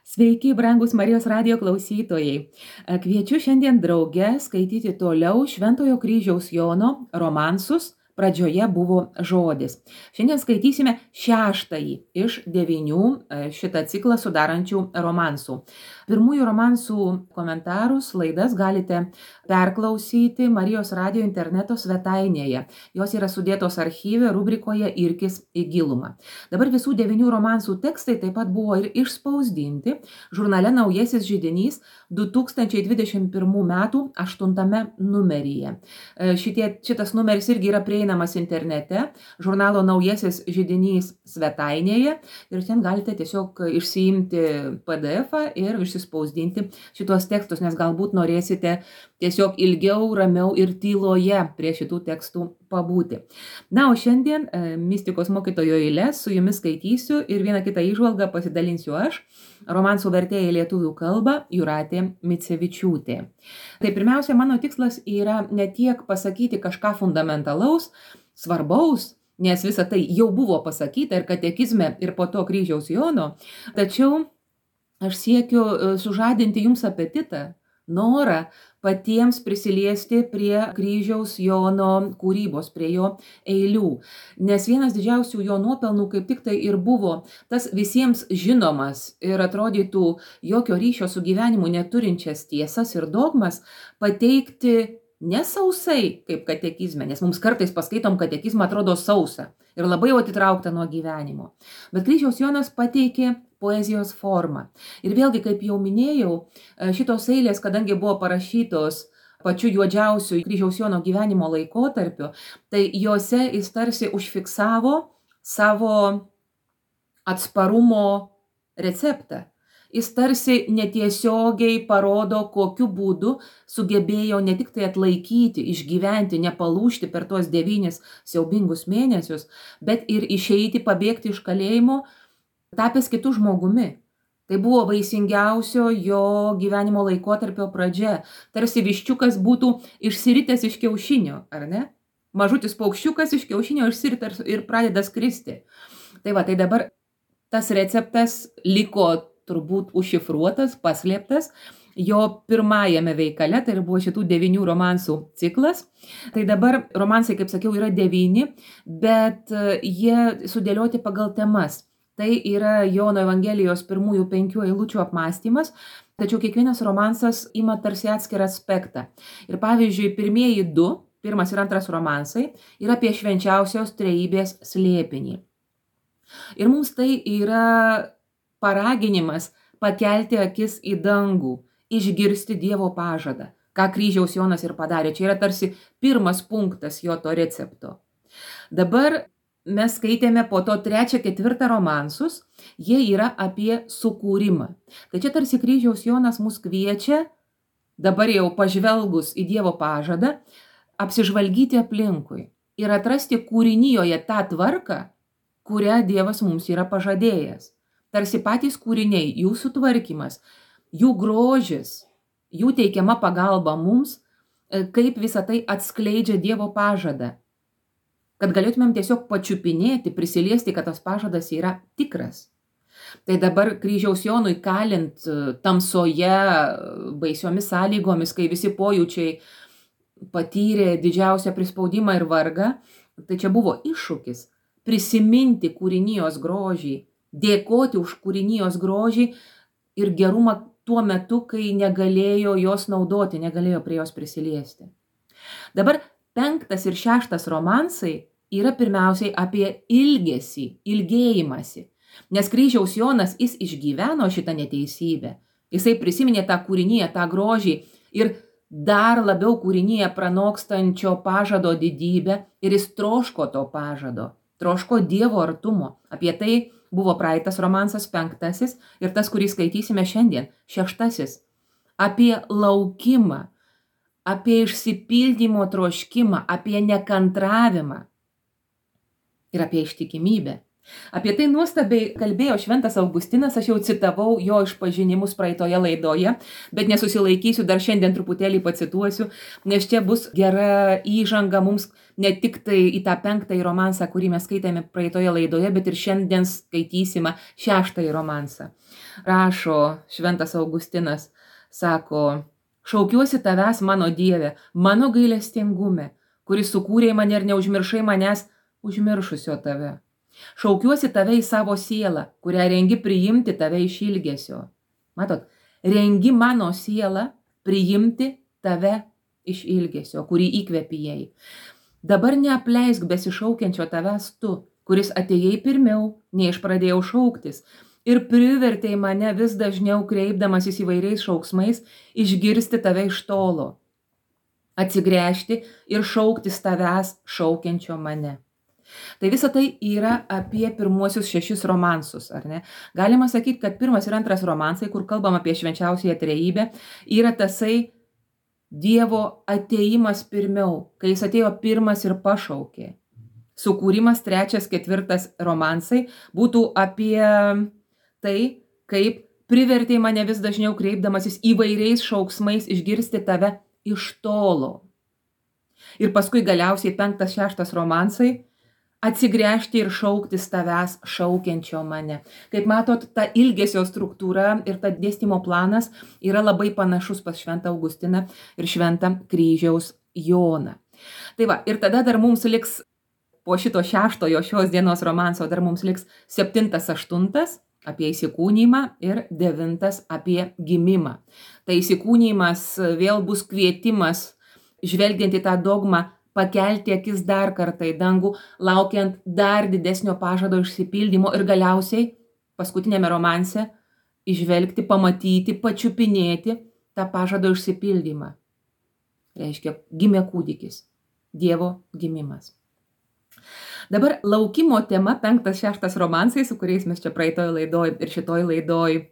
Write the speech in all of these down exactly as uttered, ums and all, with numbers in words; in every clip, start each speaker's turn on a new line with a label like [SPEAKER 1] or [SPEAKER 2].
[SPEAKER 1] Sveiki, brangus Marijos radijo klausytojai. Kviečiu šiandien drauge skaityti toliau Šventojo kryžiaus Jono romansus. Pradžioje buvo žodis. Šiandien skaitysime šeštąjį iš devynių šitą ciklą sudarančių romansų. Pirmųjų romansų komentarus, laidas galite perklausyti Marijos radijo interneto svetainėje. Jos yra sudėtos archyve rubrikoje Irkis į gilumą. Dabar visų devynių romansų tekstai taip pat buvo ir išspausdinti žurnale Naujasis židinys du tūkstančiai dvidešimt pirmų metų aštuntame numeryje. Šitie, šitas numeris irgi yra prieinamas internete, žurnalo Naujasis židinys svetainėje ir ten galite tiesiog išsiimti P D F-ą ir išsispausdinti šitos tekstus, nes galbūt norėsite tiesiog ilgiau, ramiau ir tyloje prie šitų tekstų pabūti. Na, o šiandien mistikos mokytojo eiles su jumis skaitysiu ir vieną kitą įžvalgą pasidalinsiu aš, romansų vertėja į lietuvių kalbą Jūratė Micevičiūtė. Tai pirmiausia, mano tikslas yra ne tiek pasakyti kažką fundamentalaus, svarbaus, nes visa tai jau buvo pasakyta ir katekizme, ir po to kryžiaus Jono, tačiau aš siekiu sužadinti jums apetitą, norą patiems prisiliesti prie kryžiaus Jono kūrybos, prie jo eilių. Nes vienas didžiausių jo nuopelnų kaip tik tai ir buvo tas visiems žinomas ir atrodytų jokio ryšio su gyvenimu neturinčias tiesas ir dogmas pateikti ne sausai kaip katekizme, nes mums kartais paskaitom katekizmą atrodo sausa ir labai jau atitraukta nuo gyvenimo. Bet kryžiaus Jonas pateikė poezijos formą. Ir vėlgi, kaip jau minėjau, šitos eilės, kadangi buvo parašytos pačiu juodžiausiu kryžiaus Jono gyvenimo laikotarpiu, tai juose jis tarsi užfiksavo savo atsparumo receptą. Jis tarsi netiesiogiai parodo, kokiu būdu sugebėjo ne tik tai atlaikyti, išgyventi, nepalūžti per tuos devynis siaubingus mėnesius, bet ir išeiti, pabėgti iš kalėjimo, tapęs kitų žmogumi. Tai buvo vaisingiausio jo gyvenimo laikotarpio pradžia. Tarsi viščiukas būtų išsiritęs iš kiaušinio, ar ne? Mažutis paukščiukas iš kiaušinio išsiritęs ir pradeda skristi. Tai va, tai dabar tas receptas liko turbūt užšifruotas, paslėptas jo pirmajame veikale, tai buvo šitų devynių romansų ciklas. Tai dabar romansai, kaip sakiau, yra devyni, bet jie sudėlioti pagal temas. Tai yra Jono Evangelijos pirmųjų penkių eilučių apmąstymas, tačiau kiekvienas romansas ima tarsi atskirą aspektą. Ir pavyzdžiui, pirmieji du, pirmas ir antras romansai, yra apie švenčiausios trejybės slėpinį. Ir mums tai yra paraginimas pakelti akis į dangų, išgirsti Dievo pažadą, ką kryžiaus Jonas ir padarė. Čia yra tarsi pirmas punktas jo to recepto. Dabar mes skaitėme po to trečią, ketvirtą romansus, jie yra apie sukūrimą. Tai čia tarsi kryžiaus Jonas mus kviečia, dabar jau pažvelgus į Dievo pažadą, apsižvalgyti aplinkui ir atrasti kūrinijoje tą tvarką, kurią Dievas mums yra pažadėjęs. Tarsi patys kūriniai, jų sutvarkymas, jų grožis, jų teikiama pagalba mums, kaip visą tai atskleidžia Dievo pažadą. Kad galėtumėm tiesiog pačiupinėti, prisiliesti, kad tas pažadas yra tikras. Tai dabar kryžiaus Jonui kalint tamsoje, baisiomis sąlygomis, kai visi pojūčiai patyrė didžiausią prispaudimą ir vargą, tai čia buvo iššūkis prisiminti kūrinijos grožį, dėkoti už kūrinijos grožį ir gerumą tuo metu, kai negalėjo jos naudoti, negalėjo prie jos prisiliesti. Dabar penktas ir šeštas romansai yra pirmiausiai apie ilgesį, ilgėjimąsi. Nes kryžiaus Jonas, jis išgyveno šitą neteisybę. Jisai prisiminė tą kūriniją, tą grožį ir dar labiau kūriniją pranokstančio pažado didybę ir jis troško to pažado, troško Dievo artumo. Apie tai buvo praeitas romansas penktasis ir tas, kurį skaitysime šiandien, šeštasis. Apie laukimą, apie išsipildymo troškimą, apie nekantravimą ir apie ištikimybę. Apie tai nuostabiai kalbėjo šventas Augustinas, aš jau citavau jo išpažinimus praeitoje laidoje, bet nesusilaikysiu, dar šiandien truputėlį pacituosiu, nes čia bus gera įžanga mums ne tik tai į tą penktąjį romansą, kurį mes skaitėme praeitoje laidoje, bet ir šiandien skaitysime šeštąjį romansą. Rašo šventas Augustinas, sako, šaukiuosi tavęs, mano Dieve, mano gailestingume, kuris sukūrė mane ir neužmiršai manęs užmiršusio tave. Šaukiuosi tave į savo sielą, kurią rengi priimti tave iš ilgesio. Matot, rengi mano sielą priimti tave iš ilgesio, kurį įkvėpijai. Dabar neapleisk besišaukiančio tavęs tu, kuris atėjai pirmiau, nei aš pradėjau šauktis, ir privertei mane vis dažniau kreipdamasis įvairiais šauksmais išgirsti tave iš tolo, atsigręžti ir šauktis tavęs šaukiančio mane. Tai visa tai yra apie pirmuosius šešis romansus, ar ne? Galima sakyti, kad pirmas ir antras romansai, kur kalbam apie švenčiausiąją trejybę, yra tasai Dievo atėjimas pirmiau, kai jis atėjo pirmas ir pašaukė. Sukūrimas trečias, ketvirtas romansai būtų apie tai, kaip privertė mane vis dažniau kreipdamasis įvairiais šauksmais išgirsti tave iš tolo. Ir paskui galiausiai penktas, šeštas romansai atsigręžti ir šauktis tavęs šaukiančio mane. Kaip matot, ta ilgesio struktūra ir ta dėstymo planas yra labai panašus pas šventą Augustiną ir šventą kryžiaus Joną. Tai va, ir tada dar mums liks po šito šeštojo šios dienos romanso, dar mums liks septintas, aštuntas apie įsikūnymą ir devintas apie gimimą. Tai įsikūnymas vėl bus kvietimas, žvelgiant į tą dogmą, pakelti akis dar kartą į dangų, laukiant dar didesnio pažado išsipildymo ir galiausiai paskutinėme romanse išvelgti, pamatyti, pačiupinėti tą pažado išsipildymą. Reiškia, gimė kūdikis, Dievo gimimas. Dabar laukimo tema, penktas, šeštas romansai, su kuriais mes čia praeitoje laidoje ir šitoje laidoje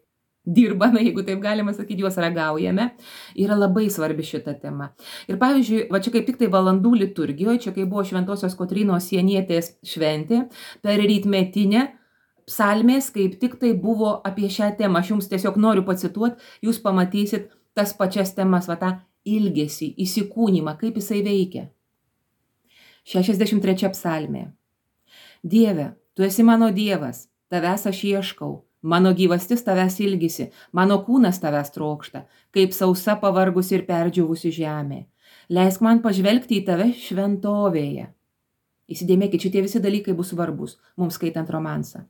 [SPEAKER 1] dirbame, jeigu taip galima sakyti, juos ragaujame, yra labai svarbi šita tema. Ir pavyzdžiui, va čia kaip tik tai valandų liturgijoje, čia kai buvo Šventosios Kotrynos Sienietės šventė, per rytmetinę psalmės kaip tik tai buvo apie šią temą. Aš jums tiesiog noriu pacituoti, jūs pamatysit tas pačias temas, va tą ilgesį, įsikūnymą, kaip jisai veikia. šešiasdešimt trečia psalmė. Dieve, tu esi mano Dievas, tavęs aš ieškau. Mano gyvastis tavęs ilgisi, mano kūnas tavęs trokšta, kaip sausa pavargusi ir perdžiūvusi žemė. Leisk man pažvelgti į tave šventovėje. Įsidėmėkit, šitie visi dalykai bus svarbus, mums skaitant romansą.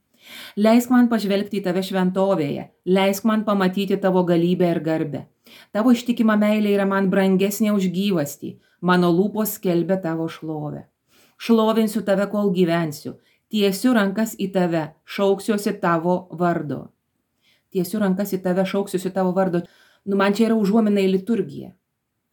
[SPEAKER 1] Leisk man pažvelgti į tave šventovėje, leisk man pamatyti tavo galybę ir garbę. Tavo ištikima meilė yra man brangesnė už gyvastį, mano lūpos skelbia tavo šlovę. Šlovinsiu tave, kol gyvensiu. Tiesiu rankas į tave, šauksiuosi tavo vardo. Tiesiu rankas į tave, šauksiuosi tavo vardo. Nu, man čia yra užuomina į liturgiją.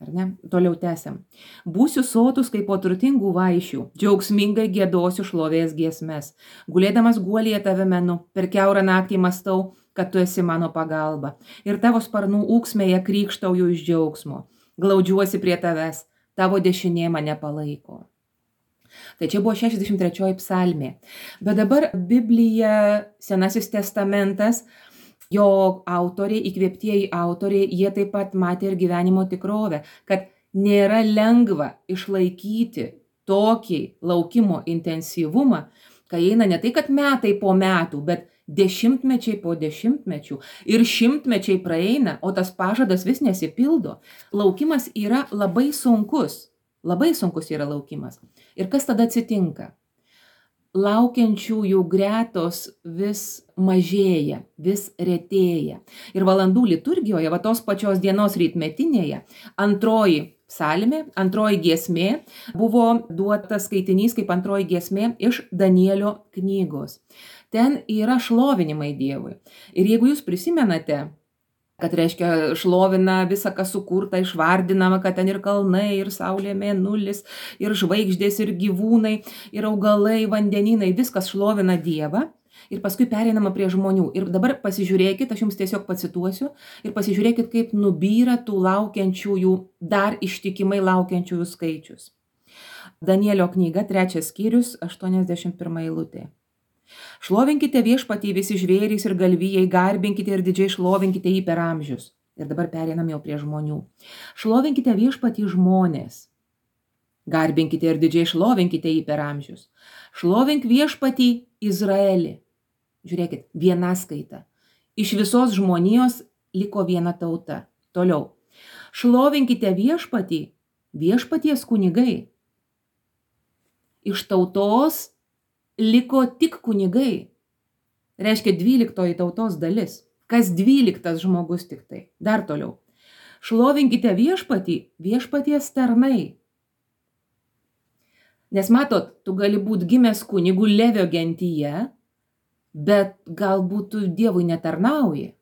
[SPEAKER 1] Ar ne? Toliau tęsiam. Būsiu sotus kaip po turtingų vaišių, džiaugsmingai giedosiu šlovės giesmes. Gulėdamas guolyje tave menu, per kiaurą naktį mastau, kad tu esi mano pagalba. Ir tavo sparnų ūksmėje krykštauju iš džiaugsmo. Glaudžiuosi prie tavęs, tavo dešinė mane palaiko. Tai čia buvo šešiasdešimt trečioji psalmė. Bet dabar Biblija, Senasis testamentas, jo autoriai, įkvėptieji autoriai, jie taip pat matė ir gyvenimo tikrovę, kad nėra lengva išlaikyti tokį laukimo intensyvumą, kai eina ne tai, kad metai po metų, bet dešimtmečiai po dešimtmečių ir šimtmečiai praeina, o tas pažadas vis nesipildo. Laukimas yra labai sunkus. Labai sunkus yra laukimas. Ir kas tada atsitinka? Laukiančiųjų gretos vis mažėja, vis retėja. Ir valandų liturgijoje, va tos pačios dienos rytmetinėje, antroji psalmė, antroji giesmė buvo duotas skaitinys kaip antroji giesmė iš Danielio knygos. Ten yra šlovinimai Dievui. Ir jeigu jūs prisimenate, kad reiškia šlovina visą, kas sukurta, išvardinama, kad ten ir kalnai, ir saulė, mėnulis, ir žvaigždės, ir gyvūnai, ir augalai, vandenynai, viskas šlovina Dievą. Ir paskui pereinama prie žmonių. Ir dabar pasižiūrėkit, aš jums tiesiog pacituosiu, ir pasižiūrėkit, kaip nubyra tų laukiančiųjų, dar ištikimai laukiančiųjų skaičius. Danielio knyga, trečias skyrius, aštuoniasdešimt pirma eilutė. Šlovinkite viešpatį visi žvėrys ir galvijai, garbinkite ir didžiai šlovinkite jį per amžius. Ir dabar pereinam jau prie žmonių. Šlovinkite viešpatį žmonės. Garbinkite ir didžiai šlovinkite jį per amžius. Šlovink viešpatį Izraelį. Žiūrėkit, viena skaita. Iš visos žmonijos liko viena tauta. Toliau. Šlovinkite viešpatį, viešpaties kunigai. Iš tautos liko tik kunigai. Reiškia dvyliktoji tautos dalis. Kas dvyliktas žmogus tik tai. Dar toliau. Šlovinkite viešpatį, viešpaties tarnai. Nes matot, tu gali būti gimęs kunigų Levio gentyje, bet galbūt tu Dievui netarnauji.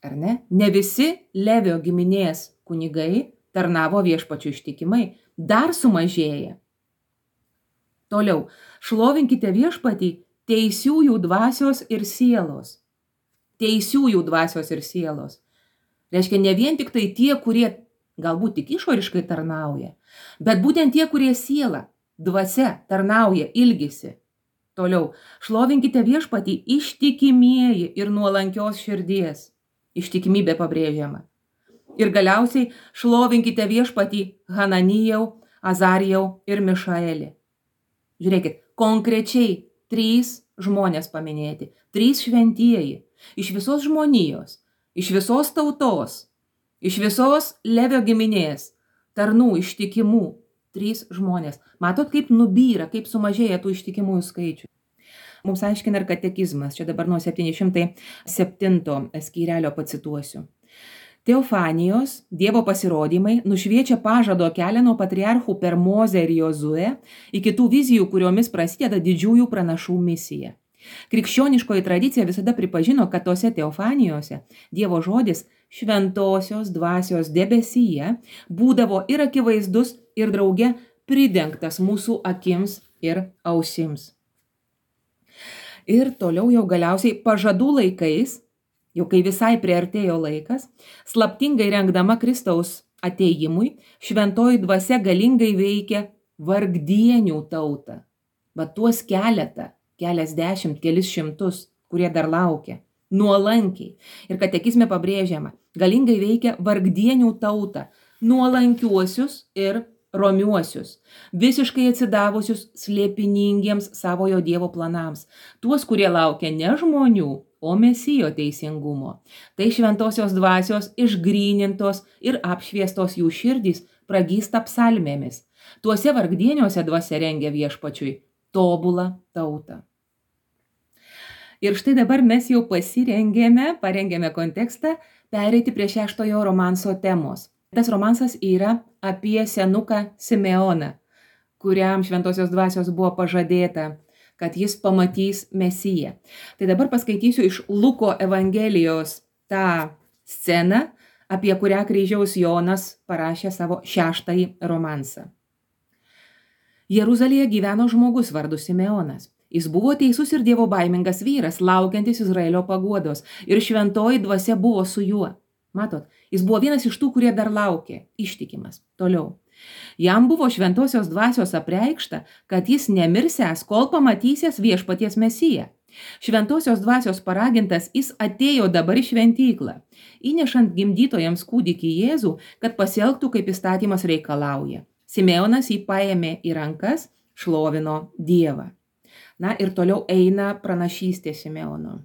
[SPEAKER 1] Ar ne? Ne visi Levio giminės kunigai tarnavo viešpačiu ištikimai. Dar sumažėja. Toliau. Šlovinkite viešpatį teisiųjų dvasios ir sielos. Teisiųjų dvasios ir sielos. Reiškia, ne vien tik tai tie, kurie galbūt tik išoriškai tarnauja, bet būtent tie, kurie siela, dvasia tarnauja, ilgisi. Toliau. Šlovinkite viešpatį ištikimieji ir nuolankios širdies. Ištikimybė pabrėžiama. Ir galiausiai šlovinkite viešpatį Hananijau, Azarijau ir Mišaelį. Žiūrėkit, konkrečiai trys žmonės paminėti, trys šventieji, iš visos žmonijos, iš visos tautos, iš visos Levio giminės, tarnų, ištikimų, trys žmonės. Matot, kaip nubyra, kaip sumažėja tų ištikimųjų skaičių. Mums aiškina ir katekizmas, čia dabar nuo septyni šimtai septinto skyrelio pacituosiu. Teofanijos, Dievo pasirodymai, nušviečia pažado kelią nuo patriarchų per Mozę ir Jozuę iki tų vizijų, kuriomis prasideda didžiųjų pranašų misija. Krikščioniškoji tradicija visada pripažino, kad tose teofanijose Dievo žodis šventosios dvasios debesyje būdavo ir akivaizdus, ir drauge pridengtas mūsų akims ir ausims. Ir toliau jau galiausiai pažadų laikais, jau kai visai priartėjo laikas, slaptingai rengdama Kristaus atėjimui, šventoji dvasia galingai veikia vargdienių tautą. Va tuos keletą, keliasdešimt, kelis šimtus, kurie dar laukia, nuolankiai. Ir katekizme pabrėžiama, galingai veikia vargdienių tautą, nuolankiuosius ir romiuosius, visiškai atsidavusius slėpiningiems savojo Dievo planams, tuos, kurie laukia ne žmonių, o Mesijo teisingumo. Tai šventosios dvasios išgrynintos ir apšviestos jų širdys pragysta psalmėmis. Tuose vargdieniuose dvasia rengia viešpačiui tobulą tautą. Ir štai dabar mes jau pasirengėme, parengėme kontekstą, pereiti prie šeštojo romanso temos. Tas romansas yra apie senuką Simeoną, kuriam šventosios dvasios buvo pažadėta, kad jis pamatys Mesiją. Tai dabar paskaitysiu iš Luko Evangelijos tą sceną, apie kurią kryžiaus Jonas parašė savo šeštąjį romansą. Jeruzalėje gyveno žmogus vardu Simeonas. Jis buvo teisus ir dievobaimingas vyras, laukiantis Izraelio paguodos, ir šventoji dvasia buvo su juo. Matot, jis buvo vienas iš tų, kurie dar laukė, ištikimas. Toliau. Jam buvo šventosios dvasios apreikšta, kad jis nemirsęs, kol pamatysės viešpaties Mesiją. Šventosios dvasios paragintas, jis atėjo dabar į šventyklą, įnešant gimdytojams kūdikį Jėzų, kad pasielgtų, kaip įstatymas reikalauja. Simeonas jį paėmė į rankas, šlovino Dievą. Na ir toliau eina pranašystė Simeono.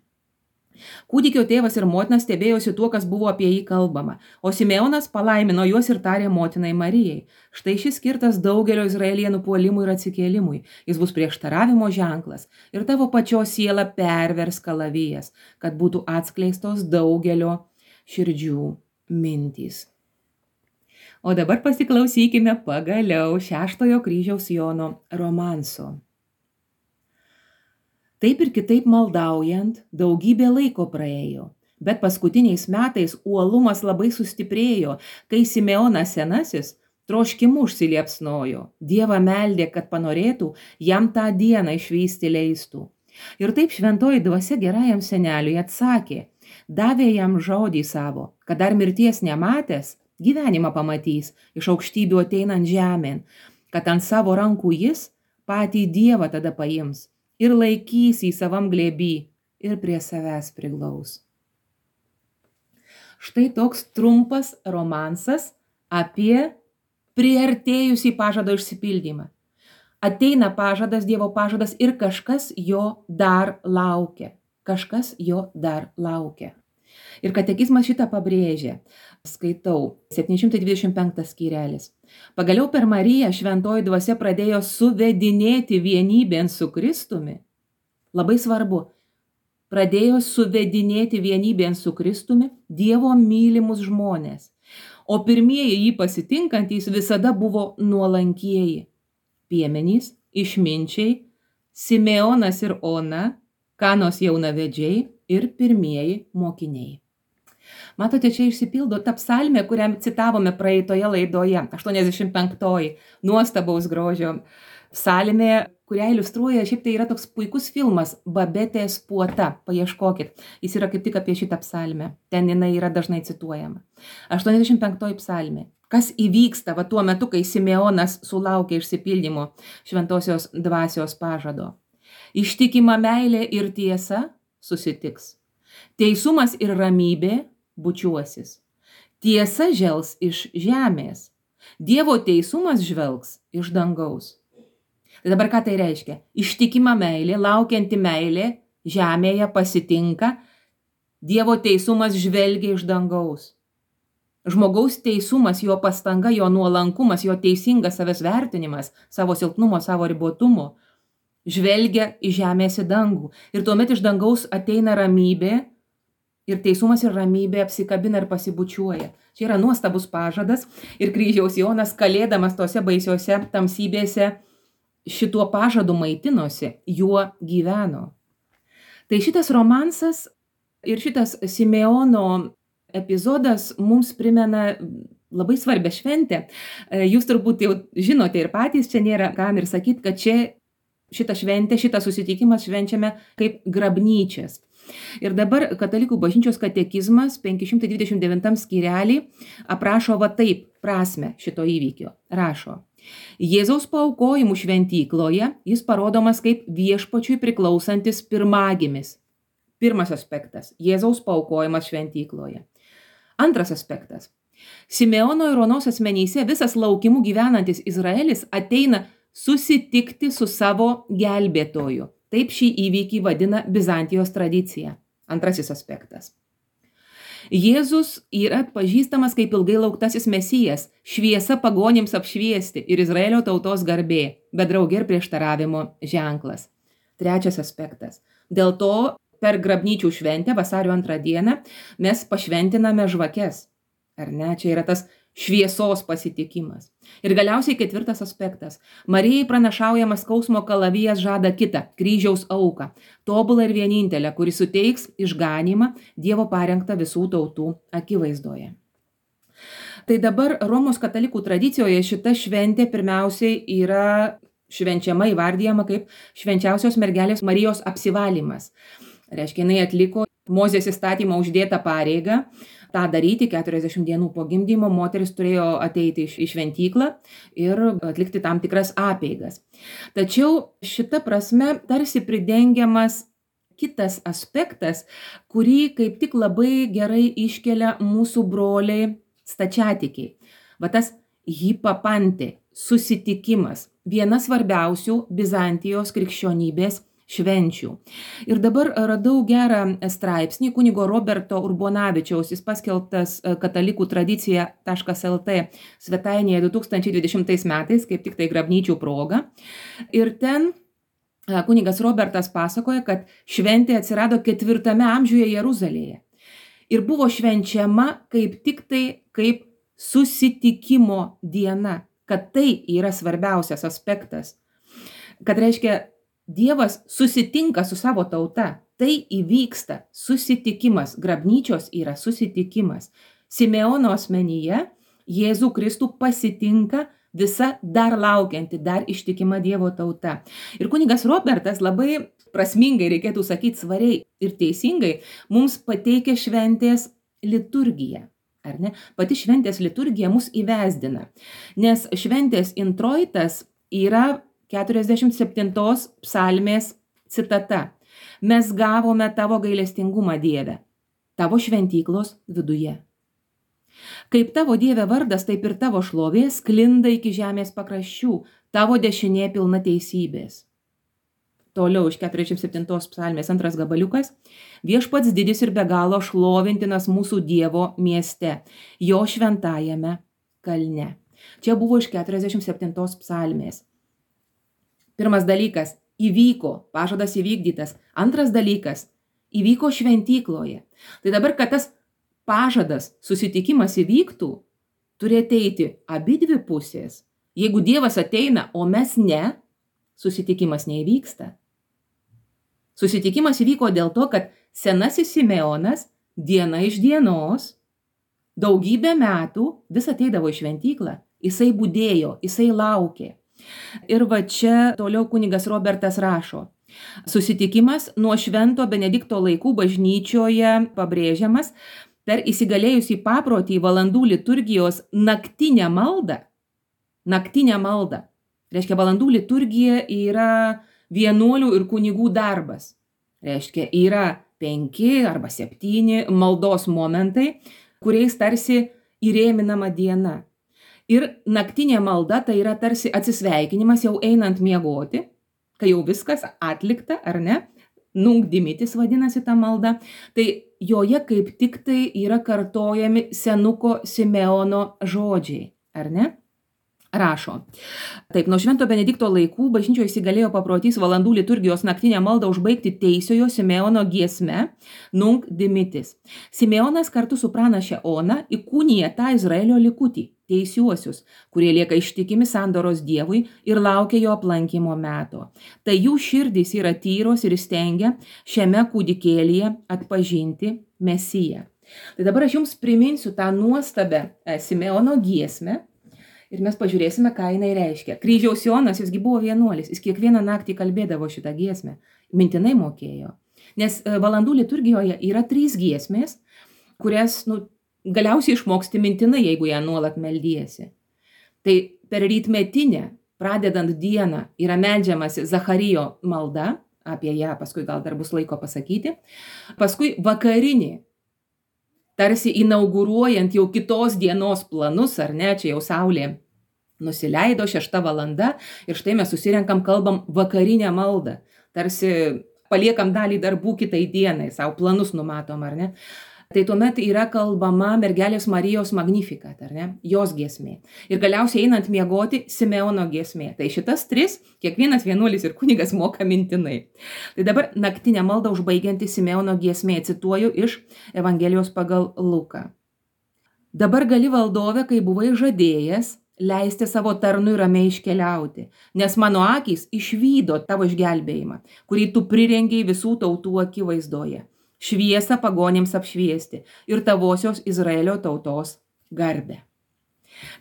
[SPEAKER 1] Kūdikio tėvas ir motina stebėjosi tuo, kas buvo apie jį kalbama, o Simeonas palaimino juos ir tarė motinai Marijai. Štai šis skirtas daugelio izraelienų puolimui ir atsikėlimui. Jis bus prieštaravimo ženklas ir tavo pačios siela pervers kalavijas, kad būtų atskleistos daugelio širdžių mintys. O dabar pasiklausykime pagaliau šeštojo kryžiaus Jono romanso. Taip ir kitaip maldaujant, daugybė laiko praėjo, bet paskutiniais metais uolumas labai sustiprėjo, kai Simeonas senasis troškimu užsiliepsnojo, Dievą meldė, kad panorėtų jam tą dieną išvysti leistų. Ir taip šventoji dvasia gerajam seneliui atsakė, davė jam žodį savo, kad dar mirties nematęs, gyvenimą pamatys, iš aukštybių ateinant žemėn, kad ant savo rankų jis patį Dievą tada paims ir laikys į savam glėby ir prie savęs priglaus. Štai toks trumpas romansas apie priartėjusį pažado išsipildymą. Ateina pažadas, Dievo pažadas ir kažkas jo dar laukia. Kažkas jo dar laukia. Ir katekizmas šitą pabrėžia. Skaitau, septyni šimtai dvidešimt penktas skyrelis. Pagaliau per Mariją šventoji dvasia pradėjo suvedinėti vienybėn su Kristumi. Labai svarbu. Pradėjo suvedinėti vienybėn su Kristumi Dievo mylimus žmonės. O pirmieji jį pasitinkantys visada buvo nuolankieji. Piemenys, išminčiai, Simeonas ir Ona, Kanos jaunavedžiai ir pirmieji mokiniai. Matote, čia išsipildo ta psalmė, kurią citavome praeitoje laidoje, aštuoniasdešimt penktoji, nuostabaus grožio psalmė, kurią iliustruoja, šiaip tai yra toks puikus filmas Babetės puota, paieškokit, jis yra kaip tik apie šitą psalmę, ten jinai yra dažnai cituojama. aštuoniasdešimt penktoji psalmė. Kas įvyksta va tuo metu, kai Simeonas sulaukia išsipildymo šventosios dvasios pažado? Ištikima meilė ir tiesa susitiks. Teisumas ir ramybė bučiuosis. Tiesa žels iš žemės. Dievo teisumas žvelgs iš dangaus. Tai dabar ką tai reiškia? Ištikima meilė, laukianti meilė žemėje pasitinka. Dievo teisumas žvelgia iš dangaus. Žmogaus teisumas, jo pastanga, jo nuolankumas, jo teisingas savęs vertinimas, savo silpnumo, savo ribotumo, žvelgia į žemės į dangų. Ir tuomet iš dangaus ateina ramybė ir teisumas ir ramybė apsikabina ir pasibučiuoja. Čia yra nuostabus pažadas ir kryžiaus Jonas, kalėdamas tose baisiose tamsybėse, šituo pažadu maitinosi, juo gyveno. Tai šitas romansas ir šitas Simeono epizodas mums primena labai svarbią šventę. Jūs turbūt jau žinote ir patys, čia nėra kam ir sakyti, kad čia šitą šventę, šitą susitikimas švenčiame kaip grabnyčias. Ir dabar Katalikų bažnyčios katekizmas penki šimtai dvidešimt devintam skyrelį aprašo va taip prasmę šito įvykio. Rašo: Jėzaus paaukojimų šventykloje jis parodomas kaip viešpačiui priklausantis pirmagimis. Pirmas aspektas – Jėzaus paaukojimas šventykloje. Antras aspektas – Simeono ir Onos asmenyse visas laukimu gyvenantis Izraelis ateina susitikti su savo gelbėtoju. Taip šį įvykį vadina Bizantijos tradicija. Antrasis aspektas. Jėzus yra pažįstamas kaip ilgai lauktasis Mesijas, šviesa pagonims apšviesti ir Izraelio tautos garbė, bet draugė ir prieštaravimo ženklas. Trečias aspektas. Dėl to per grabnyčių šventę vasario antrą dieną mes pašventiname žvakes. Ar ne? Čia yra tas šviesos pasitikimas. Ir galiausiai ketvirtas aspektas. Marijai pranašaujamas skausmo kalavijas žada kitą, kryžiaus auką, tobulą ir vienintelę, kuri suteiks išganymą Dievo parengtą visų tautų akivaizdoje. Tai dabar Romos katalikų tradicijoje šita šventė pirmiausiai yra švenčiama, įvardyjama kaip švenčiausios mergelės Marijos apsivalymas. Reiškia, jinai atliko Mozės įstatymą uždėtą pareigą tą daryti. keturiasdešimt dienų po gimdymo moteris turėjo ateiti į šventyklą ir atlikti tam tikras apeigas. Tačiau šita prasme tarsi pridengiamas kitas aspektas, kurį kaip tik labai gerai iškelia mūsų broliai stačiatikiai. Va tas hipapantė, susitikimas, viena svarbiausių Bizantijos krikščionybės švenčių. Ir dabar radau gerą straipsnį kunigo Roberto Urbonavičiaus, jis paskelbtas katalikų tradicija taškas el tė svetainėje du tūkstančiai dvidešimtais metais, kaip tik tai grabnyčių proga. Ir ten kunigas Robertas pasakoja, kad šventė atsirado ketvirtame amžiuje Jeruzalėje. Ir buvo švenčiama kaip tik tai kaip susitikimo diena, kad tai yra svarbiausias aspektas. Kad reiškia, Dievas susitinka su savo tauta. Tai įvyksta susitikimas. Grabnyčios yra susitikimas. Simeono asmenyje Jėzų Kristų pasitinka visa dar laukianti, dar ištikima Dievo tauta. Ir kunigas Robertas labai prasmingai, reikėtų sakyti svariai ir teisingai, mums pateikia šventės liturgiją. Ar ne? Pati šventės liturgija mus įvesdina. Nes šventės introitas yra keturiasdešimt septintos psalmės Citata. Mes gavome tavo gailestingumą, Dieve, tavo šventyklos viduje. Kaip tavo Dieve vardas, taip ir tavo šlovė sklinda iki žemės pakraščių, tavo dešinė pilna teisybės. Toliau iš keturiasdešimt septintos psalmės antras gabaliukas. Viešpats didis ir be galo šlovintinas mūsų Dievo mieste, jo šventajame kalne. Čia buvo iš keturiasdešimt septintos psalmės. Pirmas dalykas – įvyko, pažadas įvykdytas. Antras dalykas – įvyko šventykloje. Tai dabar, kad tas pažadas, susitikimas įvyktų, turi ateiti abi dvi pusės. Jeigu Dievas ateina, o mes ne, susitikimas neįvyksta. Susitikimas įvyko dėl to, kad senasis Simeonas diena iš dienos, daugybę metų vis ateidavo į šventyklą. Jisai budėjo, jisai laukė. Ir va čia toliau kunigas Robertas rašo. Susitikimas nuo švento Benedikto laikų bažnyčioje pabrėžiamas per įsigalėjusį paprotį valandų liturgijos naktinę maldą. Naktinę maldą. Reiškia, valandų liturgija yra vienuolių ir kunigų darbas. Reiškia, yra penki arba septyni maldos momentai, kuriais tarsi įrėminama diena. Ir naktinė malda tai yra tarsi atsisveikinimas jau einant miegoti, kai jau viskas atlikta, ar ne? Nunc dimittis vadinasi ta malda. Tai joje kaip tik tai yra kartojami senuko Simeono žodžiai, ar ne? Rašo. Taip, nuo švento Benedikto laikų bažnyčioje įsigalėjo paprotys valandų liturgijos naktinę maldą užbaigti teisiojo Simeono giesme Nunc dimittis. Simeonas kartu su pranaše Ona įkūnija tą Izraelio likutį, teisiuosius, kurie lieka ištikimi sandoros Dievui ir laukia jo aplankymo meto. Tai jų širdys yra tyros ir stengia šiame kūdikėlyje atpažinti Mesiją. Tai dabar aš jums priminsiu tą nuostabę Simeono giesmę. Ir mes pažiūrėsime, ką jinai reiškia. Kryžiaus Jonas, jisgi buvo vienuolis, jis kiekvieną naktį kalbėdavo šitą giesmę, mintinai mokėjo. Nes valandų liturgijoje yra trys giesmės, kurias nu, galiausiai išmoksti mintinai, jeigu ją nuolat meldiesi. Tai per rytmetinę, pradedant dieną, yra meldžiamasi Zacharijo malda, apie ją paskui gal dar bus laiko pasakyti, paskui vakarinį, tarsi inauguruojant jau kitos dienos planus, ar ne, čia jau saulė nusileido, šešta valanda, ir štai mes susirenkam, kalbam vakarinę maldą, tarsi paliekam dalį darbų kitai dienai, savo planus numatom, ar ne. Tai tuomet yra kalbama mergelės Marijos Magnificat, ar ne, jos giesmė. Ir galiausiai einant miegoti Simeono giesmė. Tai šitas tris kiekvienas vienuolis ir kunigas moka mintinai. Tai dabar naktinę maldą užbaigianti Simeono giesmė, cituoju iš Evangelijos pagal Luką. Dabar gali valdove, kai buvai žadėjęs, leisti savo tarnui ramiai iškeliauti, nes mano akys išvydo tavo išgelbėjimą, kurį tu prirengiai visų tautų akivaizdoje. Šviesą pagonėms apšviesti ir tavosios Izraelio tautos garbę.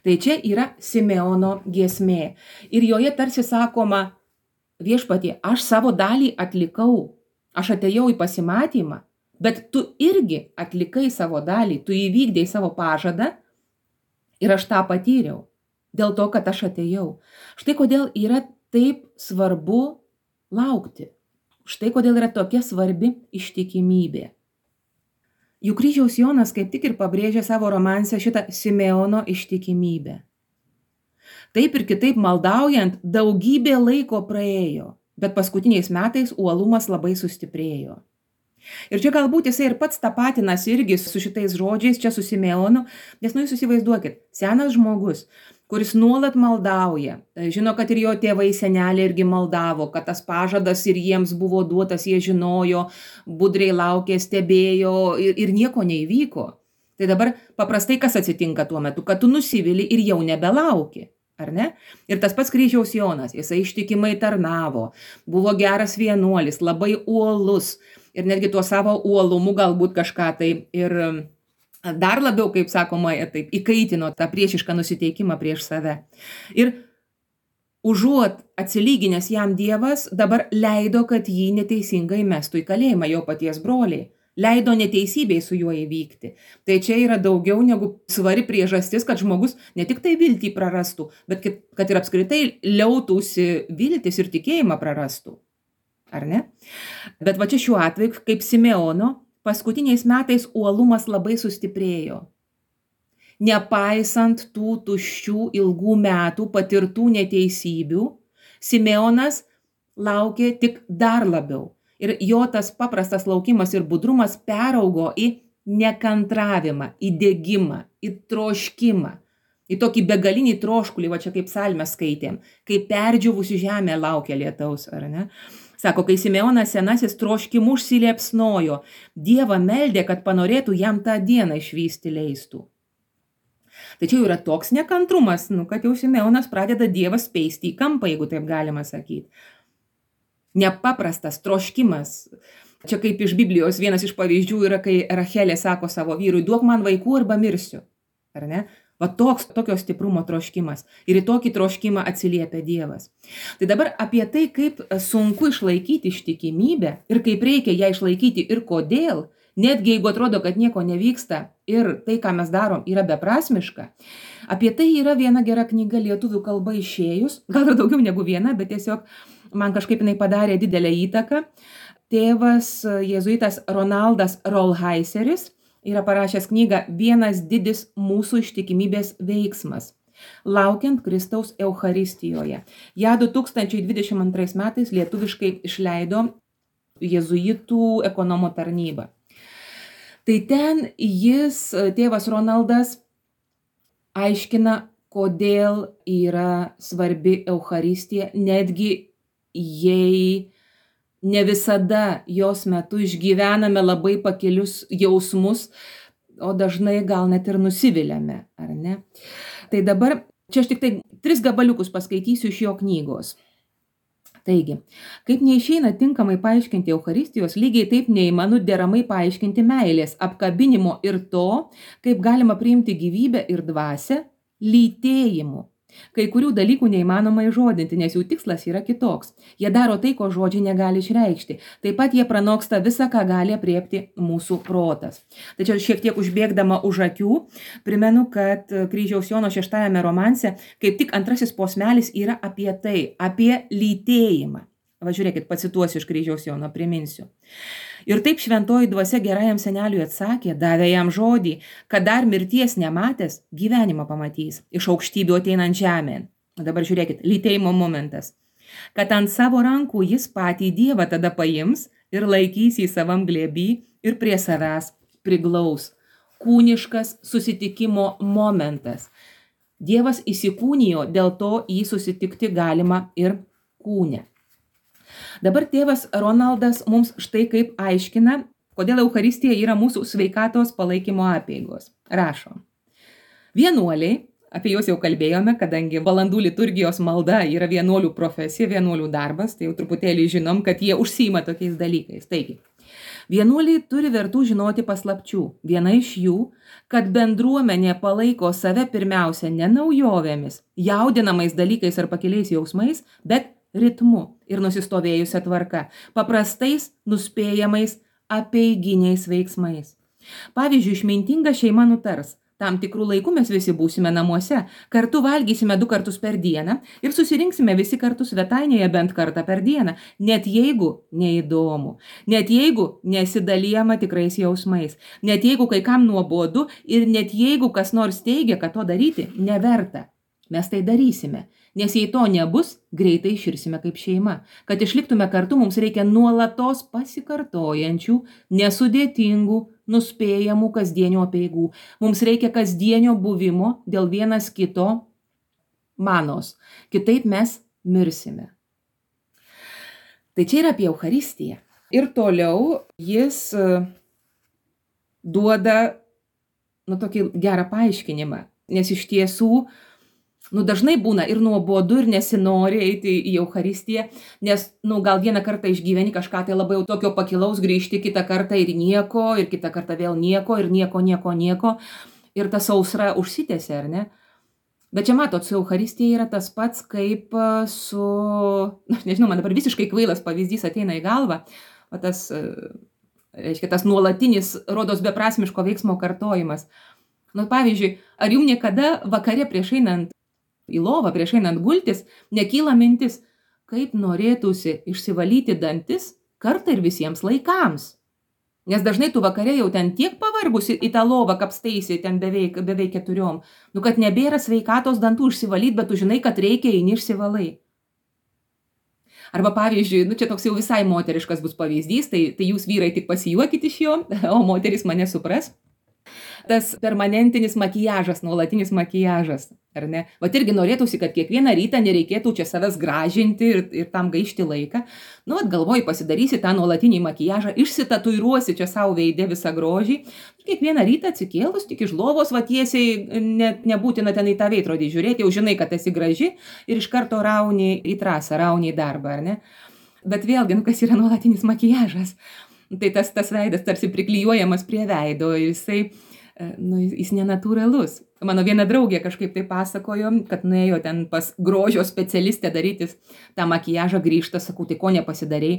[SPEAKER 1] Tai čia yra Simeono giesmė. Ir joje tarsi sakoma, viešpatie, aš savo dalį atlikau, aš atėjau į pasimatymą, bet tu irgi atlikai savo dalį, tu įvykdėjai savo pažadą ir aš tą patyriau, dėl to, kad aš atėjau. Štai kodėl yra taip svarbu laukti. Štai kodėl yra tokia svarbi ištikimybė. Juk Kryžiaus Jonas kaip tik ir pabrėžia savo romanse šitą Simeono ištikimybę. Taip ir kitaip maldaujant daugybė laiko praėjo, bet paskutiniais metais uolumas labai sustiprėjo. Ir čia galbūt jisai ir pats tapatinasi irgi su šitais žodžiais, čia su Simeonu, nes nu jūs įsivaizduokit, senas žmogus, kuris nuolat maldauja, žino, kad ir jo tėvai seneliai irgi maldavo, kad tas pažadas ir jiems buvo duotas, jie žinojo, budriai laukė, stebėjo ir, ir nieko neįvyko. Tai dabar paprastai kas atsitinka tuo metu, kad tu nusivili ir jau nebelauki, ar ne? Ir tas pats Kryžiaus Jonas, jisai ištikimai tarnavo, buvo geras vienuolis, labai uolus ir netgi tuo savo uolumu galbūt kažką tai ir dar labiau, kaip sakoma, taip, įkaitino tą priešišką nusiteikimą prieš save. Ir užuot atsilyginęs jam Dievas, dabar leido, kad jį neteisingai mestų į kalėjimą jo paties broliai. Leido neteisybei su juo įvykti. Tai čia yra daugiau negu svari priežastis, kad žmogus ne tik tai viltį prarastų, bet kad ir apskritai liautųsi viltis ir tikėjimą prarastų. ar ne? Bet va čia šiuo atveju, kaip Simeono, paskutiniais metais uolumas labai sustiprėjo. Nepaisant tų tuščių ilgų metų patirtų neteisybių, Simeonas laukė tik dar labiau. Ir jo tas paprastas laukimas ir budrumas peraugo į nekantravimą, į degimą, į troškimą, į tokį begalinį troškulį, va čia kaip psalmę skaitėm, kai perdžiūvusi žemė laukia lietaus, ar ne? Sako, kai Simeonas senasis troškimu užsiliepsnojo, Dievą meldė, kad panorėtų jam tą dieną išvysti leistų. Tačiau yra toks nekantrumas, nu, kad jau Simeonas pradeda Dievą speisti į kampą, jeigu taip galima sakyti. Nepaprastas troškimas. Čia kaip iš Biblijos vienas iš pavyzdžių yra, kai Rachelė sako savo vyrui, duok man vaikų arba mirsiu. Ar ne? Va toks, tokio stiprumo troškimas. Ir į tokį troškimą atsiliepia Dievas. Tai dabar apie tai, kaip sunku išlaikyti ištikimybę ir kaip reikia ją išlaikyti ir kodėl, netgi jeigu atrodo, kad nieko nevyksta ir tai, ką mes darom, yra beprasmiška. Apie tai yra viena gera knyga lietuvių kalba išėjus, gal ir daugiau negu viena, bet tiesiog man kažkaip jinai padarė didelę įtaką. Tėvas jėzuitas Ronaldas Rolheiseris yra parašęs knygą Vienas didis mūsų ištikimybės veiksmas, laukiant Kristaus Eucharistijoje. Ja du tūkstančiai dvidešimt antrais metais lietuviškai išleido jėzuitų ekonomo tarnyba. Tai ten jis, tėvas Ronaldas, aiškina, kodėl yra svarbi Eucharistija, netgi jei ne visada jos metu išgyvename labai pakilius jausmus, o dažnai gal net ir nusiviliame, ar ne? Tai dabar, čia aš tik tai tris gabaliukus paskaitysiu iš jo knygos. Taigi, kaip neišeina tinkamai paaiškinti Eucharistijos, lygiai taip neįmanu deramai paaiškinti meilės, apkabinimo ir to, kaip galima priimti gyvybę ir dvasią lytėjimu. Kai kurių dalykų neįmanoma įžodinti, nes jų tikslas yra kitoks. Jie daro tai, ko žodžiai negali išreikšti. Taip pat jie pranoksta visą, ką gali apriepti mūsų protas. Tačiau šiek tiek užbėgdama už akių, primenu, kad Kryžiaus Jono šeštajame romanse kaip tik antrasis posmelis yra apie tai, apie lytėjimą. Va žiūrėkit, pacituosiu iš Kryžiaus Jono, priminsiu. Ir taip šventoji dvasia gerajam seneliui atsakė, davė jam žodį, kad dar mirties nematęs gyvenimą pamatys, iš aukštybių ateinant žemėn. Dabar žiūrėkit, lytėjimo momentas. Kad ant savo rankų jis patį Dievą tada paims ir laikys į savam glėby ir prie savęs priglaus. Kūniškas susitikimo momentas. Dievas įsikūnijo, dėl to jį susitikti galima ir kūne. Dabar tėvas Ronaldas mums štai kaip aiškina, kodėl Eucharistija yra mūsų sveikatos palaikymo apeigos. Rašo. Vienuoliai, apie juos jau kalbėjome, kadangi valandų liturgijos malda yra vienuolių profesija, vienuolių darbas, tai jau truputėlį žinom, kad jie užsiima tokiais dalykais. Taigi, vienuoliai turi vertų žinoti paslapčių. Viena iš jų, kad bendruomenė palaiko save pirmiausia ne naujovėmis, jaudinamais dalykais ar pakiliais jausmais, bet ritmu ir nusistovėjusią tvarką, paprastais, nuspėjamais, apeiginiais veiksmais. Pavyzdžiui, išmintinga šeima nutars, tam tikrų laikų mes visi būsime namuose, kartu valgysime du kartus per dieną ir susirinksime visi kartu svetainėje bent kartą per dieną, net jeigu neįdomu, net jeigu nesidalijama tikrais jausmais, net jeigu kai kam nuobodu ir net jeigu kas nors teigia, kad to daryti neverta. Mes tai darysime, nes jei to nebus, greitai iširsime kaip šeima. Kad išliktume kartu, mums reikia nuolatos pasikartojančių, nesudėtingų, nuspėjamų kasdienio apeigų. Mums reikia kasdienio buvimo dėl vienas kito manos. Kitaip mes mirsime. Tai čia yra apie Eucharistiją. Ir toliau jis duoda nu, tokį gerą paaiškinimą, nes iš tiesų Nu, dažnai būna ir nuobodu, ir nesinori eiti į Eucharistiją, nes, nu, gal vieną kartą išgyveni kažką tai labai tokio pakilaus, grįžti kitą kartą ir nieko, ir kitą kartą vėl nieko, ir nieko, nieko, nieko, ir ta sausra užsitęsia, ar ne? Bet čia matot, su Eucharistija yra tas pats, kaip su, na, nežinau, man dabar visiškai kvailas pavyzdys ateina į galvą, o tas, reiškia, tas nuolatinis, rodos beprasmiško veiksmo kartojimas. Nu, pavyzdžiui, ar jums niekada vakare prieš einant į lovą, prieš einant gultis, nekyla mintis, kaip norėtųsi išsivalyti dantis kartą ir visiems laikams. Nes dažnai tu vakare jau ten tiek pavargusi į tą lovą kapstaisi, ten beveik, beveik keturiom, nu kad nebėra sveikatos dantų išsivalyti, bet tu žinai, kad reikia, eini išsivalai. Arba pavyzdžiui, nu čia toks jau visai moteriškas bus pavyzdys, tai, tai jūs vyrai tik pasijuokit iš jo, o moteris mane supras. Tas permanentinis makijažas, nuolatinis makijažas, ar ne? Vat irgi norėtųsi, kad kiekvieną rytą nereikėtų čia savęs gražinti ir, ir tam gaišti laiką. Nu, vat galvoji, pasidarysi tą nuolatinį makijažą, išsitatuiruosi čia savo veide visą grožį. Kiekvieną rytą atsikėlus, tik iš lovos, va tiesiai, net nebūtina ten į tą veidrodį žiūrėti, jau žinai, kad esi graži ir iš karto rauni į trasą, rauni į darbą, ar ne? Bet vėlgi, nu, kas yra nuolatinis makijažas? Tai tas, tas veidas tarsi priklijuojamas prie veido ir jisai, nu, jis nenatūralus. Mano viena draugė kažkaip tai pasakojo, kad nuėjo ten pas grožio specialistę darytis tą makijažą, grįžta, sakau, tai ko nepasidarei?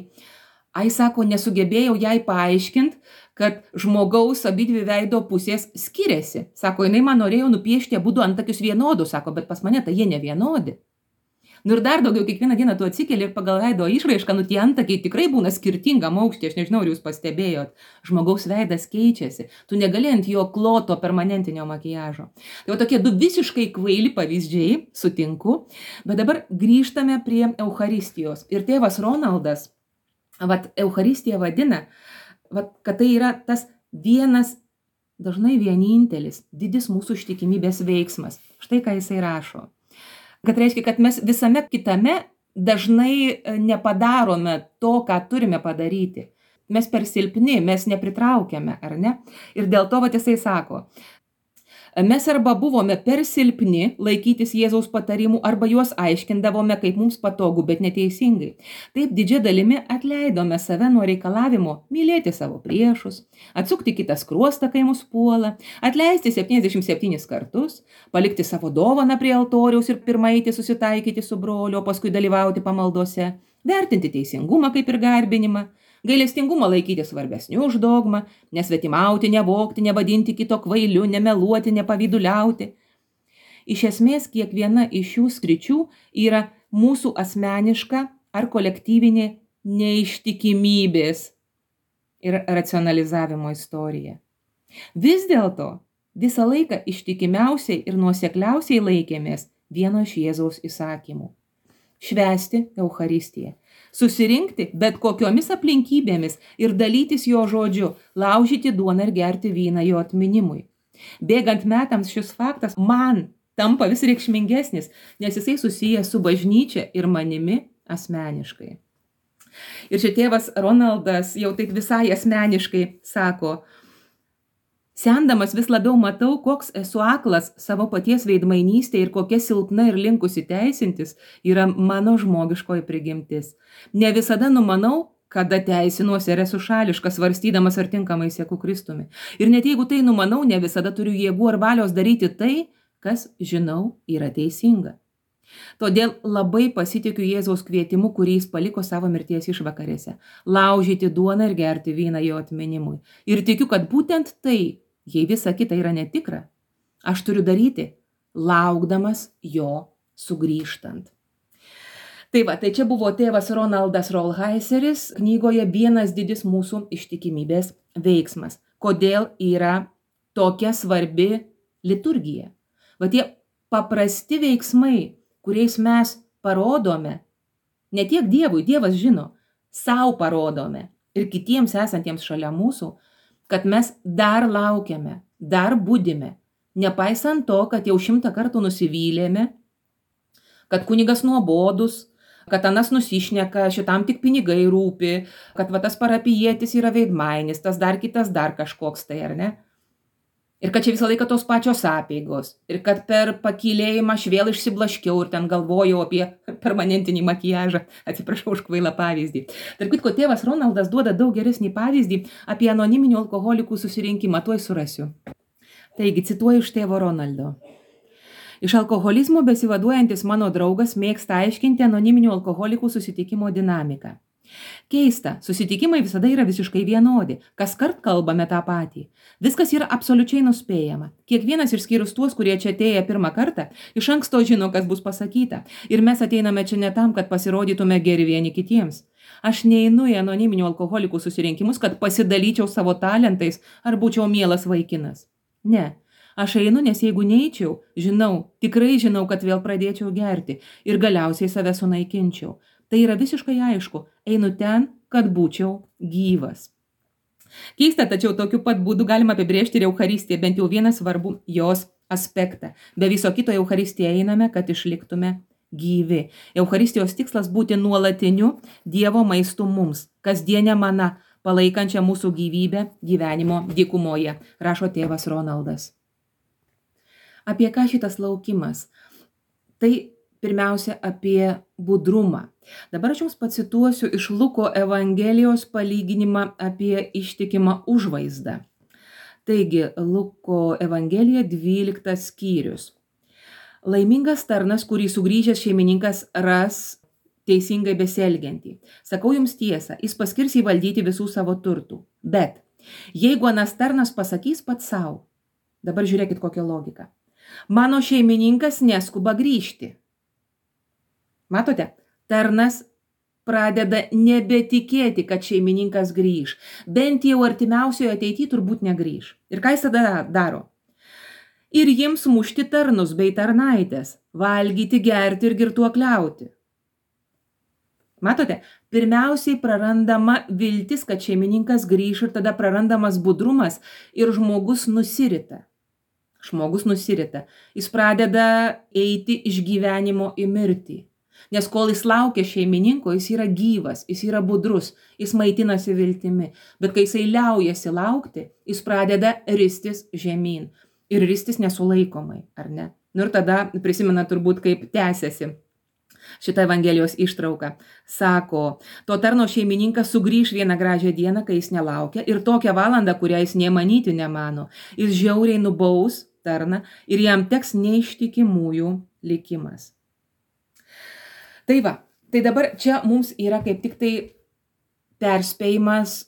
[SPEAKER 1] Ai, sako, nesugebėjau jai paaiškinti, kad žmogaus abidvi veido pusės skiriasi. Sako, jinai man norėjo nupiešti abudu antakius vienodus, sako, bet pas mane tai jie ne vienodi. Nu ir dar daugiau, kiekvieną dieną tu atsikeli ir pagal veido išraišką, nu tie antakiai tikrai būna skirtingam aukštį, aš nežinau, ar jūs pastebėjot, žmogaus veidas keičiasi, tu negali ant jo kloto permanentinio makijažo. Tai va tokie du visiškai kvaili pavyzdžiai, sutinku, bet dabar grįžtame prie Eucharistijos. Ir tėvas Ronaldas, vat Eucharistiją vadina, vat, kad tai yra tas vienas, dažnai vienintelis, didis mūsų ištikimybės veiksmas. Štai ką jisai rašo. Kad reiškia, kad mes visame kitame dažnai nepadarome to, ką turime padaryti. Mes per silpni, mes nepritraukiame, ar ne? Ir dėl to, va, jisai sako, mes arba buvome per silpni laikytis Jėzaus patarimų, arba juos aiškindavome, kaip mums patogu, bet neteisingai. Taip didžia dalimi atleidome save nuo reikalavimo mylėti savo priešus, atsukti kitą skruostą, kai mus puola, atleisti septyniasdešimt septynis kartus, palikti savo dovaną prie altoriaus ir pirmą eiti susitaikyti su broliu, o paskui dalyvauti pamaldose, vertinti teisingumą kaip ir garbinimą, gailestingumą laikyti svarbesniu už dogmą, nesvetimauti, nevogti, nevadinti kito kvailiu, nemeluoti, nepavyduliauti. Iš esmės, kiekviena iš šių sričių yra mūsų asmeniška ar kolektyvinė neištikimybės ir racionalizavimo istorija. Vis dėlto, visą laiką ištikimiausiai ir nuosekliausiai laikėmės vieno iš Jėzaus įsakymų. Švęsti Eucharistiją. Susirinkti bet kokiomis aplinkybėmis ir dalytis jo žodžiu, laužyti duoną ir gerti vyną jo atminimui. Bėgant metams šis faktas man tampa vis reikšmingesnis, nes jisai susijęs su bažnyčia ir manimi asmeniškai. Ir čia tėvas Ronaldas jau taip visai asmeniškai sako, sendamas vis labiau matau, koks esu aklas savo paties veidmainystė ir kokia silpna ir linkusi teisintis yra mano žmogiškoji prigimtis. Ne visada numanau, kada teisinuosi ir esu šališkas, svarstydamas ar tinkamai seku Kristumi. Ir net jeigu tai numanau, ne visada turiu jėgų ar valios daryti tai, kas, žinau, yra teisinga. Todėl labai pasitikiu Jėzaus kvietimu, kurį jis paliko savo mirties išvakarėse. Laužyti duoną ir gerti vyną jo atminimui. Ir tikiu, kad būtent tai, jei visa kita yra netikra, aš turiu daryti, laukdamas jo sugrįžtant. Tai va, tai čia buvo tėvas Ronaldas Rolheiseris knygoje Vienas didis mūsų ištikimybės veiksmas. Kodėl yra tokia svarbi liturgija? Va tie paprasti veiksmai, kuriais mes parodome, ne tiek Dievui, Dievas žino, sau parodome ir kitiems esantiems šalia mūsų, kad mes dar laukiame, dar budime, nepaisant to, kad jau šimtą kartų nusivylėme, kad kunigas nuobodus, kad anas nusišneka, šitam tik pinigai rūpi, kad va tas parapijietis yra veidmainis, tas dar kitas dar kažkoks tai, ar ne? Ir kad čia visą laiką tos pačios apeigos. Ir kad per pakylėjimą aš vėl išsiblaškiau ir ten galvojau apie permanentinį makijažą. Atsiprašau už kvailą pavyzdį. Tarp kitko, tėvas Ronaldas duoda daug geresnį pavyzdį apie anoniminių alkoholikų susirinkimą. Tuoj surasiu. Taigi, cituoju iš tėvo Ronaldo. Iš alkoholizmo besivaduojantis mano draugas mėgsta aiškinti anoniminių alkoholikų susitikimo dinamiką. Keista, susitikimai visada yra visiškai vienodi, kas kart kalbame tą patį. Viskas yra absoliučiai nuspėjama. Kiekvienas išskyrus tuos, kurie čia atėję pirmą kartą, iš anksto žino, kas bus pasakyta. Ir mes ateiname čia ne tam, kad pasirodytume geri vieni kitiems. Aš neinu į anoniminių alkoholikų susirinkimus, kad pasidalyčiau savo talentais ar būčiau mielas vaikinas. Ne. Aš einu, nes jeigu neičiau, žinau, tikrai žinau, kad vėl pradėčiau gerti ir galiausiai save sunaikinčiau. Tai yra visiškai aišku, einu ten, kad būčiau gyvas. Keista, tačiau tokiu pat būdu galima apibrėžti ir Eucharistiją, bent jau vieną svarbų jos aspektą. Be viso kito Eucharistiją einame, kad išliktume gyvi. Eucharistijos tikslas būti nuolatiniu Dievo maistu mums, kasdienė mana, palaikančia mūsų gyvybę gyvenimo dykumoje, rašo tėvas Ronaldas. Apie ką šitas laukimas? Tai pirmiausia apie budrumą. Dabar aš jums pacituosiu iš Luko Evangelijos palyginimą apie ištikimą užvaizdą. Taigi, Luko Evangelija dvyliktas skyrius. Laimingas tarnas, kurį sugrįžęs šeimininkas ras teisingai besielgiantį. Sakau jums tiesą, jis paskirs įvaldyti visų savo turtų. Bet jeigu anas tarnas pasakys pats savo, dabar žiūrėkit kokią logiką. Mano šeimininkas neskuba grįžti. Matote, tarnas pradeda nebetikėti, kad šeimininkas grįž. Bent jau artimiausioje ateityje turbūt negrįž. Ir ką jis tada daro? Ir jiems mušti tarnus bei tarnaitės, valgyti, gerti ir girtuokliauti. Matote, pirmiausiai prarandama viltis, kad šeimininkas grįž ir tada prarandamas budrumas ir žmogus nusirita. Žmogus nusirita. Jis pradeda eiti iš gyvenimo į mirtį. Nes kol jis laukia šeimininko, jis yra gyvas, jis yra budrus, jis maitinasi viltimi. Bet kai jisai liaujasi laukti, jis pradeda ristis žemyn. Ir ristis nesulaikomai, ar ne? Nu ir tada prisimena turbūt, kaip tęsiasi šitą Evangelijos ištrauką. Sako, to tarno šeimininkas sugrįž vieną gražią dieną, kai jis nelaukia, ir tokią valandą, kurią jis nemanyti nemano. Jis žiauriai nubaus tarną ir jam teks neištikimųjų likimas. Tai va, tai dabar čia mums yra kaip tik tai perspėjimas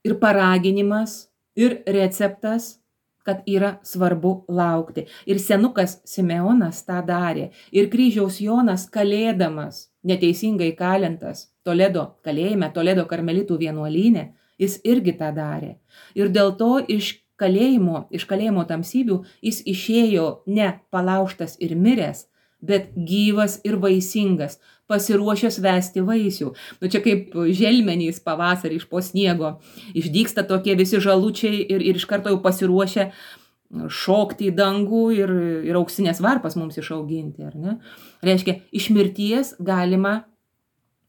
[SPEAKER 1] ir paraginimas ir receptas, kad yra svarbu laukti. Ir senukas Simeonas tą darė. Ir kryžiaus Jonas kalėdamas, neteisingai kalintas Toledo kalėjime, Toledo karmelitų vienuolyne, jis irgi tą darė. Ir dėl to iš kalėjimo, iš kalėjimo tamsybių jis išėjo ne palaužtas ir miręs, bet gyvas ir vaisingas, pasiruošęs vesti vaisių. Nu čia kaip želmenys pavasarį iš po sniego. Išdygsta tokie visi žalučiai ir, ir iš karto jau pasiruošę šokti į dangų ir, ir auksinės varpas mums išauginti, ar ne? Reiškia, iš mirties galima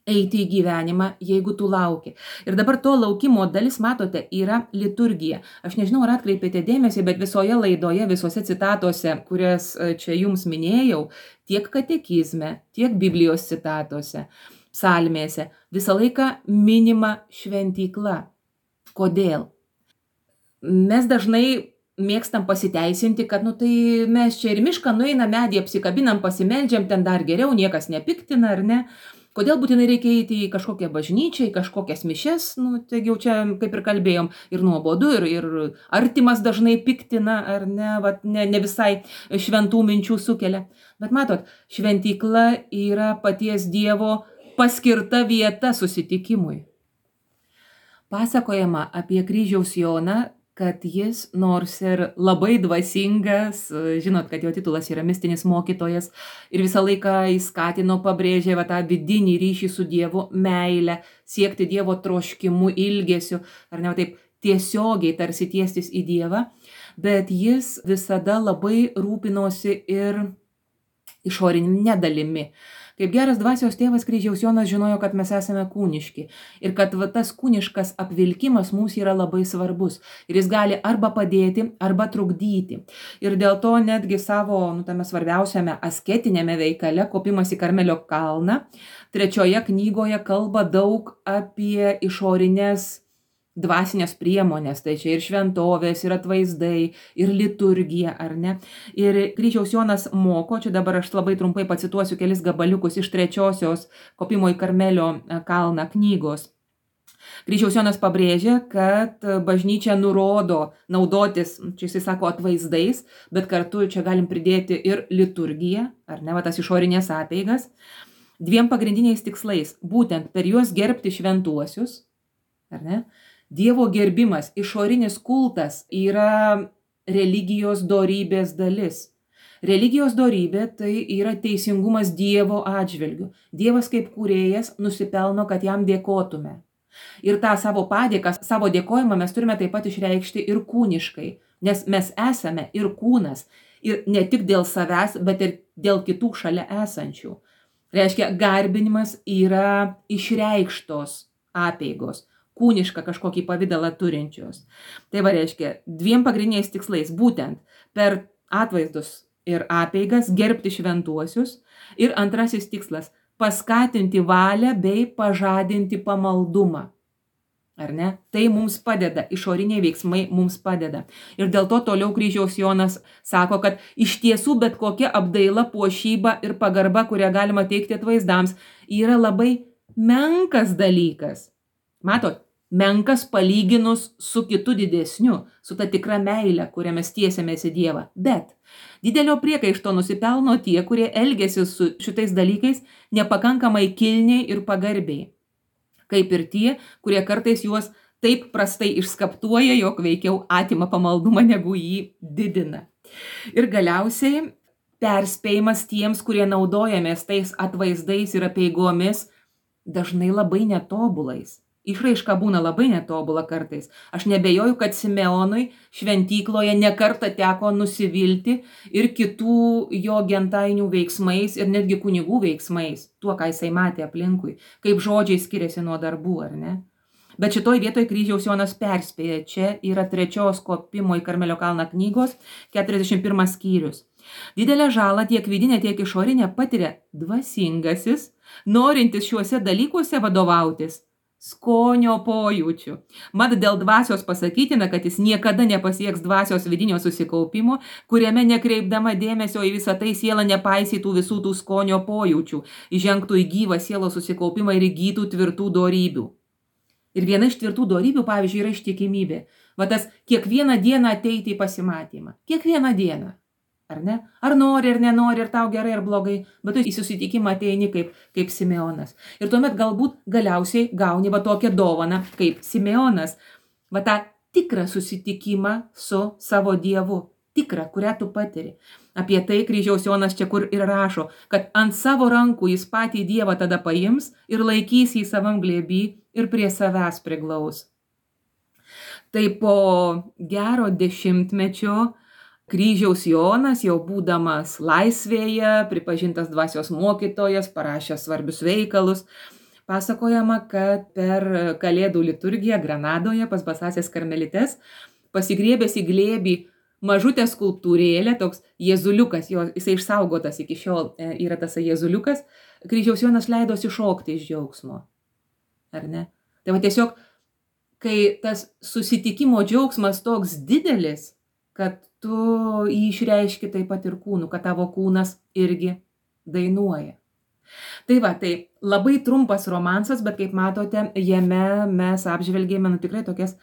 [SPEAKER 1] eiti į gyvenimą, jeigu tu lauki. Ir dabar to laukimo dalis, matote, yra liturgija. Aš nežinau, ar atkreipėte dėmesį, bet visoje laidoje, visose citatose, kurias čia jums minėjau, tiek katekizme, tiek Biblijos citatose, psalmėse, visą laiką minima šventykla. Kodėl? Mes dažnai mėgstam pasiteisinti, kad nu tai mes čia ir mišką nueinam, medį apsikabinam, pasimeldžiam, ten dar geriau, niekas nepiktina, ar ne? Kodėl būtinai reikia eiti į kažkokią bažnyčią, į kažkokias mišes, nu, taigi jau čia, kaip ir kalbėjom, ir nuobodu, ir, ir artimas dažnai piktina, ar ne, vat, ne, ne visai šventų minčių sukelia. Bet matot, šventykla yra paties Dievo paskirta vieta susitikimui. Pasakojama apie kryžiaus Joną, kad jis, nors ir labai dvasingas, žinot, kad jo titulas yra mistinis mokytojas, ir visą laiką jis skatino, pabrėžė va, tą vidinį ryšį su Dievu, meilę, siekti Dievo troškimu, ilgesiu, ar ne, taip tiesiogiai tarsi tiestis į Dievą, bet jis visada labai rūpinosi ir išorinė dalimi. Kaip geras dvasios tėvas kryžiaus Jonas žinojo, kad mes esame kūniški ir kad va, tas kūniškas apvilkimas mums yra labai svarbus ir jis gali arba padėti, arba trukdyti. Ir dėl to netgi savo, nu, tame svarbiausiame asketinėme veikale, kopimas į Karmelio kalną, trečioje knygoje kalba daug apie išorinės dvasinės priemonės, tai čia ir šventovės, ir atvaizdai, ir liturgija, ar ne. Ir kryžiaus Jonas moko, čia dabar aš labai trumpai pacituosiu kelis gabaliukus iš trečiosios kopimo į Karmelio kalną knygos. Kryžiaus Jonas pabrėžia, kad bažnyčia nurodo naudotis, čia jisai sako, atvaizdais, bet kartu čia galim pridėti ir liturgiją, ar ne, va tas išorinės apeigas, dviem pagrindiniais tikslais, būtent per juos gerbti šventuosius, ar ne. Dievo gerbimas, išorinis kultas yra religijos dorybės dalis. Religijos dorybė tai yra teisingumas Dievo atžvilgiu. Dievas kaip kūrėjas nusipelno, kad jam dėkotume. Ir tą savo padėką, savo dėkojimą mes turime taip pat išreikšti ir kūniškai, nes mes esame ir kūnas, ir ne tik dėl savęs, bet ir dėl kitų šalia esančių. Reiškia, garbinimas yra išreikštos apeigos, kūnišką kažkokį pavidalą turinčios. Tai va reiškia, dviem pagrindiniais tikslais, būtent per atvaizdus ir apeigas gerbti šventuosius, ir antrasis tikslas – paskatinti valią bei pažadinti pamaldumą. Ar ne? Tai mums padeda, išoriniai veiksmai mums padeda. Ir dėl to toliau kryžiaus Jonas sako, kad iš tiesų bet kokia apdaila, puošyba ir pagarba, kurią galima teikti atvaizdams, yra labai menkas dalykas. Matot, menkas palyginus su kitu didesniu, su ta tikra meile, kurią mes tiesiamės į Dievą. Bet didelio priekaišto nusipelno tie, kurie elgiasi su šitais dalykais nepakankamai kilniai ir pagarbiai. Kaip ir tie, kurie kartais juos taip prastai išskaptuoja, jog veikiau atima pamaldumą, negu jį didina. Ir galiausiai perspėjimas tiems, kurie naudojamės tais atvaizdais ir apeigomis, dažnai labai netobulais. Išraiška būna labai netobula kartais. Aš nebejoju, kad Simeonui šventykloje nekartą teko nusivilti ir kitų jo gentainių veiksmais ir netgi kunigų veiksmais, tuo, ką jisai matė aplinkui, kaip žodžiai skiriasi nuo darbų, ar ne? Bet šitoj vietoj kryžiaus Jonas perspėja, čia yra trečios kopimo į Karmelio kalną knygos, keturiasdešimt pirmas skyrius. Didelę žalą tiek vidinę, tiek išorinę patiria dvasingasis, norintis šiuose dalykuose vadovautis skonio pojūčių. Mat dėl dvasios pasakytina, kad jis niekada nepasieks dvasios vidinio susikaupimo, kuriame nekreipdama dėmesio į visą tai siela nepaisytų visų tų skonio pojūčių, įžengtų į gyvą sielos susikaupimą ir įgytų tvirtų dorybių. Ir viena iš tvirtų dorybių, pavyzdžiui, yra ištikimybė. Va tas kiekvieną dieną ateiti į pasimatymą. Kiekvieną dieną. Ar ne? Ar nori, ar nenori, ar tau gerai, ar blogai, bet tu į susitikimą ateini kaip, kaip Simeonas. Ir tuomet galbūt galiausiai gauni va tokią dovaną kaip Simeonas, va tą tikrą susitikimą su savo Dievu, tikrą, kurią tu patiri. Apie tai kryžiaus Jonas čia kur ir rašo, kad ant savo rankų jis patį Dievą tada paims ir laikys jį savam glėby ir prie savęs priglaus. Tai po gero dešimtmečio kryžiaus Jonas, jau būdamas laisvėje, pripažintas dvasios mokytojas, parašęs svarbius veikalus, pasakojama, kad per Kalėdų liturgiją Granadoje pas basąsias karmelites, pasigriebęs į glėbį mažutę skulptūrėlę, toks jėzuliukas, jo, jisai išsaugotas iki šiol yra tas jėzuliukas, kryžiaus Jonas leidosi šokti iš džiaugsmo. Ar ne? Tai va tiesiog, kai tas susitikimo džiaugsmas toks didelis, kad tu jį išreiški taip pat ir kūnu, kad tavo kūnas irgi dainuoja. Tai va, tai labai trumpas romansas, bet kaip matote, jame mes apžvelgėme nu tikrai tokias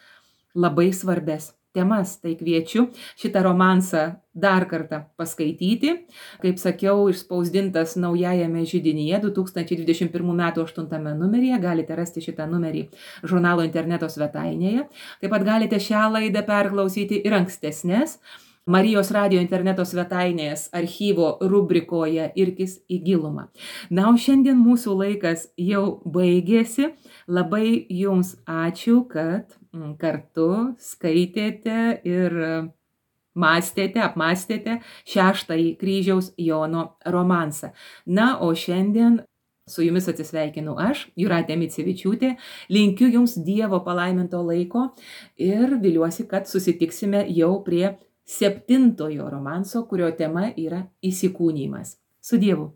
[SPEAKER 1] labai svarbes temas. Tai kviečiu šitą romansą dar kartą paskaityti. Kaip sakiau, išspausdintas naujajame židinyje du tūkstančiai dvidešimt pirmų metų aštuntame numeryje. Galite rasti šitą numerį žurnalo interneto svetainėje. Taip pat galite šią laidą perklausyti ir ankstesnės Marijos radijo interneto svetainės archyvo rubrikoje Irkis į gilumą. Na, o šiandien mūsų laikas jau baigėsi. Labai jums ačiū, kad kartu skaitėte ir mąstėte, apmąstėte šeštąjį kryžiaus Jono romansą. Na, o šiandien su jumis atsisveikinu aš, Jūratė Micevičiūtė. Linkiu jums Dievo palaiminto laiko ir viliuosi, kad susitiksime jau prie septintojo romanso, kurio tema yra įsikūnijimas. Su Dievu.